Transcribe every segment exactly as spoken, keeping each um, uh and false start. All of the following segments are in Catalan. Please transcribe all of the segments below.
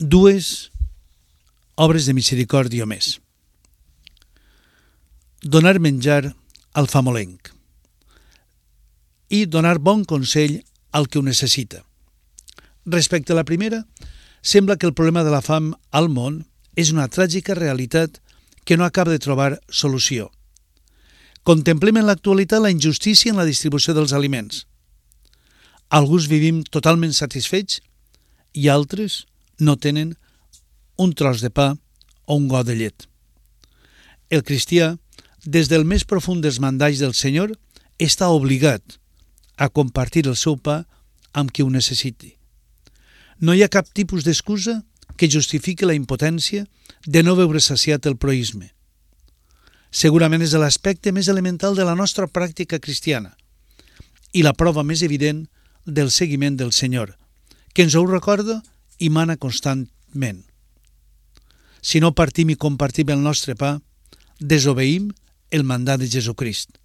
dues obres de misericòrdia més. Donar menjar al famolenc i donar bon consell al que ho necessita. Respecte a la primera, sembla que el problema de la fam al món és una tràgica realitat que no acaba de trobar solució. Contemplem en l'actualitat la injustícia en la distribució dels aliments. Alguns vivim totalment satisfets i altres no tenen un tros de pa o un got de llet. El cristià, des del més profund dels mandalls del Senyor, està obligat a compartir el seu pa amb qui ho necessiti. No hi ha cap tipus d'excusa que justifiqui la impotència de no veure saciat el proïsme. Segurament és l'aspecte més elemental de la nostra pràctica cristiana i la prova més evident del seguiment del Senyor, que ens ho recorda i mana constantment. Si no partim i compartim el nostre pa, desobeïm el mandat de Jesucrist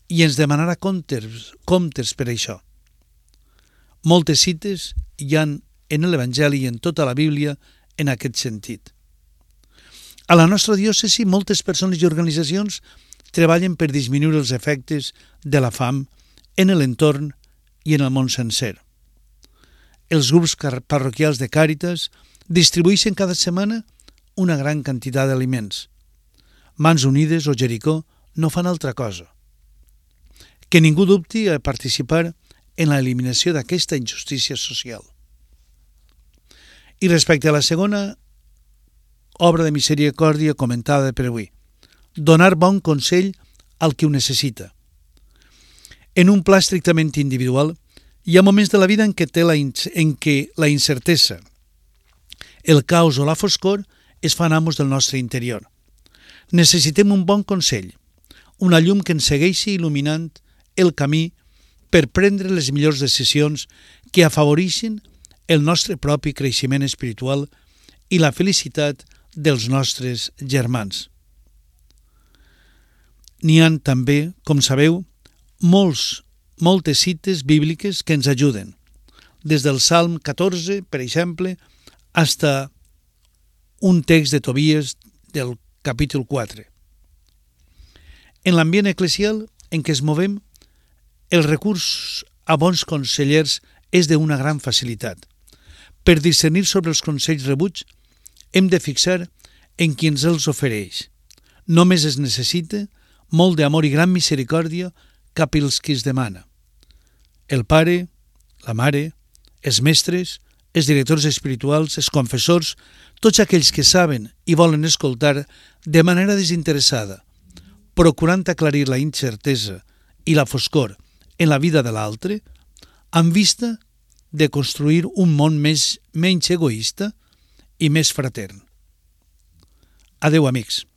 i ens demanarà comptes, comptes per això. Moltes cites hi ha en l'Evangeli i en tota la Bíblia en aquest sentit. A la nostra diòcesi, moltes persones i organitzacions treballen per disminuir els efectes de la fam en l'entorn i en el món sencer. Els grups parroquials de Càritas distribueixen cada setmana una gran quantitat d'aliments. Mans Unides o Jericó no fan altra cosa. Que ningú dubti a participar en l'eliminació d'aquesta injustícia social. I respecte a la segona obra de misericòrdia comentada per avui, donar bon consell al qui ho necessita. En un pla estrictament individual, hi ha moments de la vida en què, té la, en què la incertesa, el caos o la foscor es fan amos del nostre interior. Necessitem un bon consell, una llum que ens segueixi il·luminant el camí per prendre les millors decisions que afavoreixin el nostre propi creixement espiritual i la felicitat dels nostres germans. N'hi ha també, com sabeu, molts, moltes cites bíbliques que ens ajuden, des del Salm catorze, per exemple, fins a un text de Tobías del capítol quatre. En l'ambient eclesial en què es movem, el recurs a bons consellers és d'una gran facilitat. Per discernir sobre els consells rebuts, hem de fixar en qui ens els ofereix. Només es necessita molt d'amor i gran misericòrdia cap als qui es demana. El pare, la mare, els mestres, els directors espirituals, els confessors, tots aquells que saben i volen escoltar de manera desinteressada, procurant aclarir la incertesa i la foscor en la vida de l'altre, amb vista de construir un món més, menys egoista i més fratern. Adeu, amics.